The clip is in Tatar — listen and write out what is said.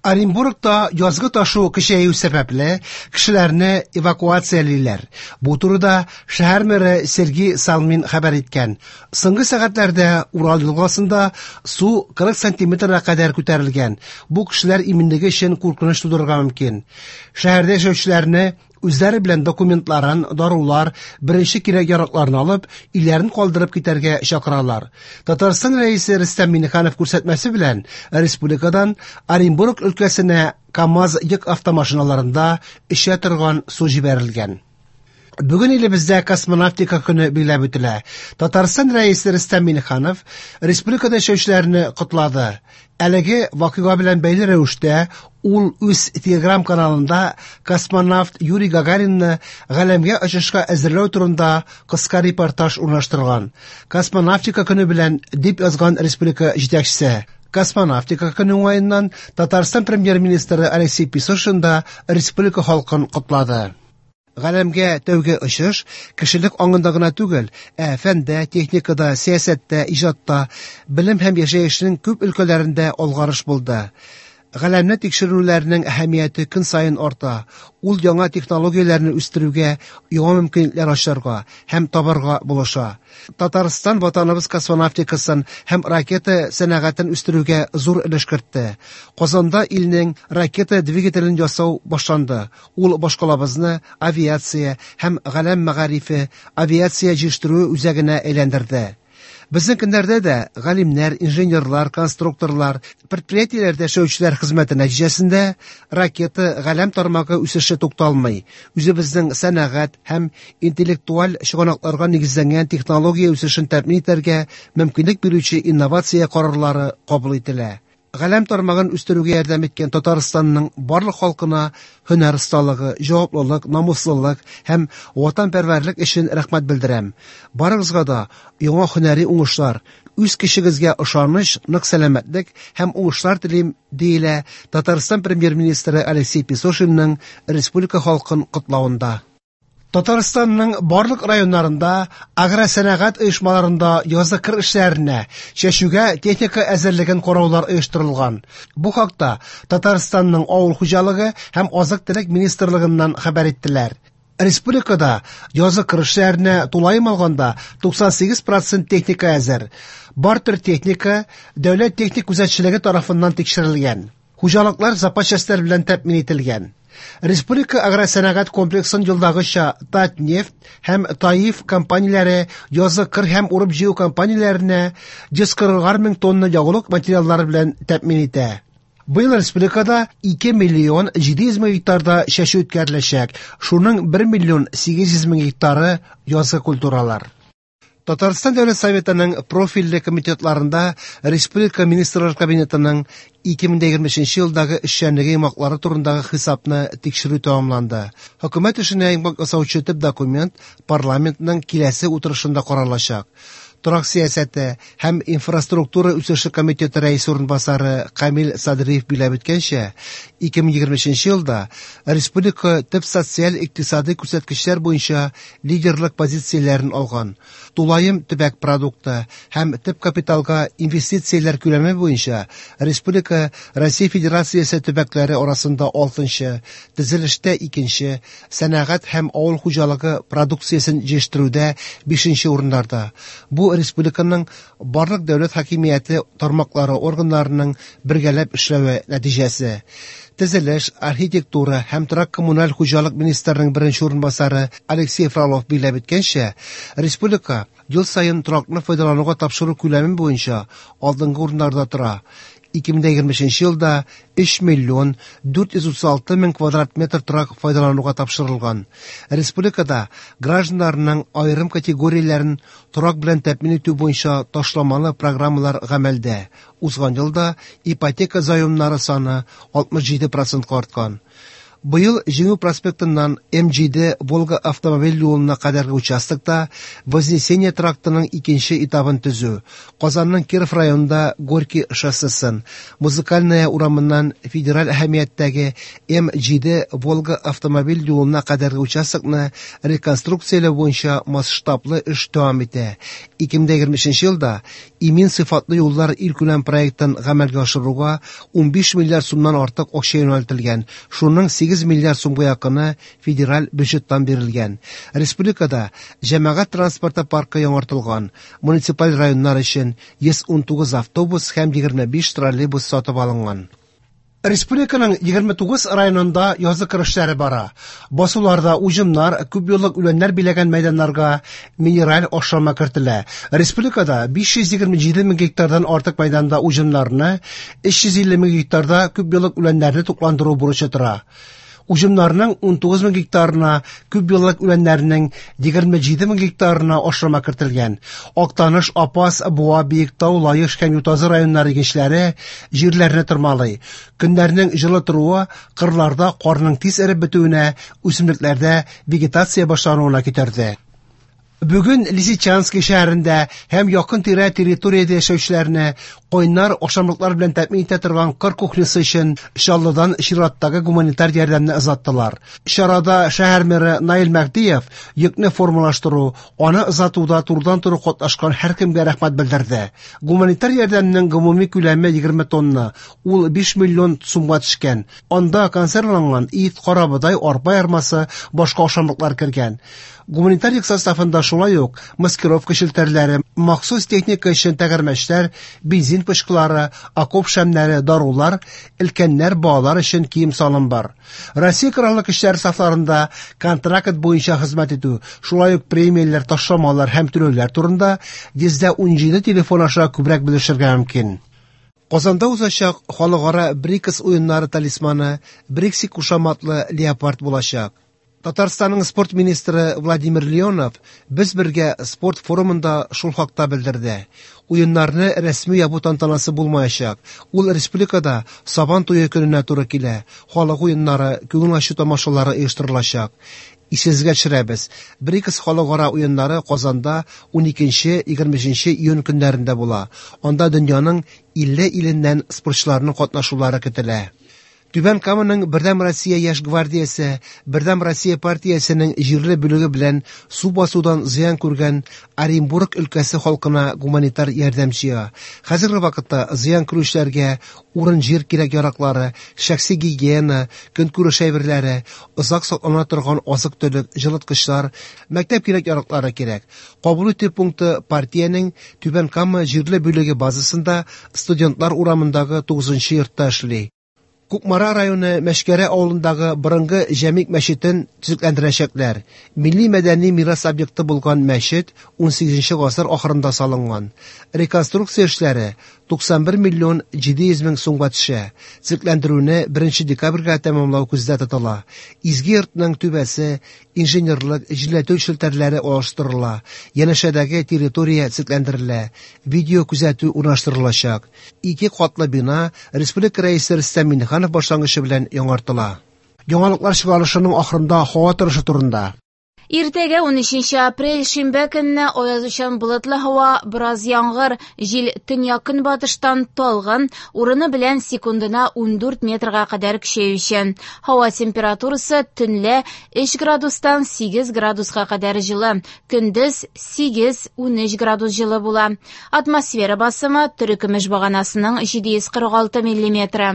Оренбургта язгы ташу көчәю сәбәпле, кешеләрне эвакуациялиләр. Бу турыда шәһәр мэры Сергей Салмин хәбәр иткән. Соңгы сәгатьләрдә Урал елгасында су 40 сантиметрга кадәр күтәрелгән. Бу кешеләр иминлеге өчен куркыныч тудырырга мөмкин. Шәһәрдә яшәүчеләрне үзләре белән документларын, дарулар, беренче кирәк-яракларын алып, өйләрен калдырып китәргә чакыралар. Татарстан Рәисе Рөстәм Миңнеханов күрсәтмәсе белән республикадан Оренбург өлкәсенә КАМАЗ йөк автомашиналарында эчә торган су җибәрелгән. Бүген илебездә космонавтика көне билгеләп үтелә. Татарстан Рәисе Рөстәм Миңнеханов республикада яшәүчеләрне котлады. Әлеге вакыйга белән бәйле рәвештә ул үз Телеграм-каналында космонавт Юрий Гагаринны галәмгә очышка әзерләү турында кыска репортаж урнаштырган. Космонавтика көне белән, дип язган республика җитәкчесе. Космонавтика көне уңаеннан Татарстан премьер-министры Алексей Песошин да республика халкын котлады. Галәмгә тәүге очыш кешелек аңында гына түгел, ә фәндә, техникада, сәясәттә, иҗатта, белем һәм яшәешнең күп өлкәләрендә алгарыш булды. Галәмне тикшерүләрнең әһәмияте көн саен арта. Ул яңа технологияләрне үстерүгә, яңа мөмкинлекләр ачарга һәм табарга булыша. Татарстан ватаныбыз космонавтикасын һәм ракета сәнәгатен үстерүгә зур өлеш кертте. Казанда илнең ракета двигателен ясау башланды. Ул башкалабызны авиация һәм галәм мәгарифе, авиация җитештерүе үзәгенә әйләндерде. Безнең көннәрдә дә галимнәр, инженерлар, конструкторлар, предприятиеләрдә эшләүчеләр хезмәте нәтиҗәсендә ракета галәм тармагы үсеше тукталмый. Үзебезнең сәнәгать һәм интеллектуаль чыганакларга нигезләнгән технология үсешен тәэмин итәргә мөмкинлек бирүче инновация карарлары кабул ителә. Галәм тармагын үстерүгә ярдәм иткән Татарстанның барлык халкына һөнәр осталыгы, җаваплылык, намуслылык һәм ватанпәрвәрлек өчен рәхмәт белдерәм. Барыгызга да яңа һөнәри уңышлар, үз көчегезгә ышаныч, нык сәламәтлек һәм уңышлар телим, диелә Татарстан премьер-министры Алексей Песошинның республика халкын котлавында. Татарстанның барлык районнарында агросәнәгать оешмаларында язгы кыр эшләренә, чәчүгә техника әзерлеген караулар оештырылган. Бу хакта Татарстанның авыл хуҗалыгы һәм азык-төлек министрлыгыннан хәбәр иттеләр. Республикада язгы кыр эшләренә тулаем алганда 98% техника әзер. Бар төр техника дәүләт техник күзәтчелеге тарафыннан тикшерелгән. Хуҗалыклар запас частьләр белән тәэмин ителгән. Республика агросәнәгать комплексын елдагыча Татнефть һәм Таиф компанияләре язгы кыр һәм урып-җыю компанияләренә 140 мең тонна ягулык материаллары белән тәэмин итә. Быел республикада 2 миллион 700 мең гектарда чәчү үткәреләчәк, шуның 1 миллион 800 мең гектары язгы культуралар. Татарстан Дәүләт Советының профильле комитетларында Республика Министрлар Кабинетының 2023 елдагы эшчәнлеге йомгаклары турындагы хисапны тикшерү тәмамланды. Хөкүмәт эшенә йомгак ясаучы төп документ парламентның киләсе утырышында каралачак. Торак сәясәте һәм инфраструктура үсеше комитеты рәисе урынбасары Камил Садриев билгеләп үткәнчә, 2023 елда республика төп социаль-икътисадый күрсәткечләр буенча лидерлык позицияләрен алган. Тулаем төбәк продукты һәм төп капиталга инвестицияләр күләме буенча республика Россия Федерациясе төбәкләре арасында 6-нчы, төзелештә 2-нче, сәнәгать һәм авыл хуҗалыгы продукциясен җитештерүдә 5-нче урыннарда. Бу республиканың барлык дәүләт хакимияте тармаклары органнарының бергәләп эшләве нәтиҗәсе. Төзелеш, архитектура һәм торак-коммуналь хуҗалык министрының беренче урынбасары Алексей Фролов билгеләп үткәнчә, республика ел саен торакны файдалануга тапшыру күләме буенча алдынгы урыннарда тора. 2023 елда 3 миллион 436 мең квадрат метр торак файдалануга тапшырылган. Республикада гражданнарның аерым категорияләрен торак белән тәэмин итү буенча ташламалы программалар гамәлдә. Узган елда ипотека заемнары саны 67%-ка арткан. Быел Җиңү проспектыннан М7 Волга автомобиль юлына кадәрге участокта Вознесение трактының икенче этабын төзү, Казанның Киров районында Горький шоссесын, Музыкальная урамыннан федераль әһәмияттәге М7 Волга автомобиль юлына кадәрге участокны реконструкцияләү буенча масштаблы эш дәвам итә. 2023 елда Имин сыйфатлы юллар илкүләм проектын гамәлгә ашыруга 15 миллиард сумнан артык акча юнәлтелгән, шуның 8 миллиард сумга якыны федераль бюджеттан бирелгән. Республикада җәмәгать транспорты паркы яңартылган, муниципаль районнар өчен 119 автобус һәм 25 троллейбус сатып алынган. Республиканың 29 районында язгы кыр эшләре бара. Басуларда уҗымнар, күпьеллык үләннәр биләгән мәйданнарга минераль ашлама кертелә. Республикада 527 мең гектардан артык мәйданда уҗымнарны, 350 мең гектарда күпьеллык үләннәрне тукландыру бурычы тора. Уҗымнарның 19 мең гектарына, күпьеллык үләннәрнең 27 мең гектарына ашлама кертелгән. Актаныш, Апас, Буа, Биектау, Лаеш һәм Ютазы районнары игенчеләре җирләрне тырмалый. Көннәрнең җылы торуы кырларда карның тиз эреп бетүенә, үсемлекләрдә вегетация башлануына китерде. Бүген Лисичанский шәһәрендә һәм якын-тирә территориядә яшәүчеләрне кайнар ашамлыклар белән тәэмин итә торган кыр кухнясы өчен Чаллыдан чираттагы гуманитар ярдәмне озаттылар. Чарада шәһәр мэры Наил Мәһдиев йөкне формалаштыру, аны озатуда турыдан-туры катнашкан һәркемгә рәхмәт белдерде. Гуманитар ярдәмнең гомуми күләме 20 тонна, ул 5 миллион сумга төшкән. Анда консервланган ит, карабодай, арпа ярмасы, башка ашамлыклар кергән. Гуманитар йөк составында шулай ук маскировка челтәрләре, махсус техника өчен тәгәрмәчләр, бензин пычкылары, окоп шәмнәре, дарулар, өлкәннәр, балалар өчен кием-салым бар. Россия Кораллы Көчләре сафларында контракт буенча хезмәт итү, шулай ук премияләр, ташламалар һәм түләүләр турында 117 телефон аша күбрәк белешергә мөмкин. Казанда узачак Халыкара БРИКС уеннары талисманы Брикси кушаматлы леопард булачак. Татарстанның спорт министры Владимир Леонов Без бергә спорт форумында шул хакта белдерде. Уеннарны рәсми ябу тантанасы булмаячак. Ул республикада Сабан туе көненә туры килә. Халык уеннары, күңел ачу тамашалары оештырылачак. Исегезгә төшерәбез, БРИКС халыкара уеннары Казанда 12-23 июнь көннәрендә була. Анда дөньяның 50 иленнән спортчыларның катнашулары көтелә. Түбән Каманың Бердәм Россия яшь гвардиясе Бердәм Россия партиясенең җирле бүлеге белән су басудан зыян күргән Оренбург өлкәсе халкына гуманитар ярдәм җыя. Хәзерге вакытта зыян күрүчеләргә урын-җир кирәк-яраклары, шәхси гигиена, көнкүреш әйберләре, озак саклана торган азык-төлек, җылыткычлар, мәктәп кирәк-яраклары кирәк. Кабул итү пункты партиянең Түбән Кама җирле бүлеге базасында Студентлар урамындагы 9 нчы йортта эшли. Кукмара районы Мәчкәрә авылындагы борынгы Җәмигъ мәчетен төзекләндерәчәкләр. Милли мәдәни мирас объекты булган мәчет унсигезенче гасыр ахырында салынган. Реконструкция эшләре 91 миллион 700 мең сумга төшә. Төзекләндерүне беренче декабрьгә тәмамлау күздә тотыла. Изге йортның түбәсе, инженерлык, җилләтү челтәрләре алыштырыла, янәшәдәге территория төзекләндерелә, видеокүзәтү урнаштырылачак. Ике катлы бина республика Рәисе Рөстәм Миңнеханов башлангычы белән яңартыла. Яңалыклар чыгарылышының ахырында һава торышы турында. Иртәгә 13 апрель шимбә көнне аязучан болытлы һава, бераз яңгыр, җил төньяк-көнбатыштан талгын, урыны белән секундына 14 метрга кадәр көчәючән. Һава температурасы төнлә 3 градустан 8 градуска кадәр җылы, көндез 8-13 градус җылы була. Атмосфера басымы терекөмеш баганасының 746 миллиметры.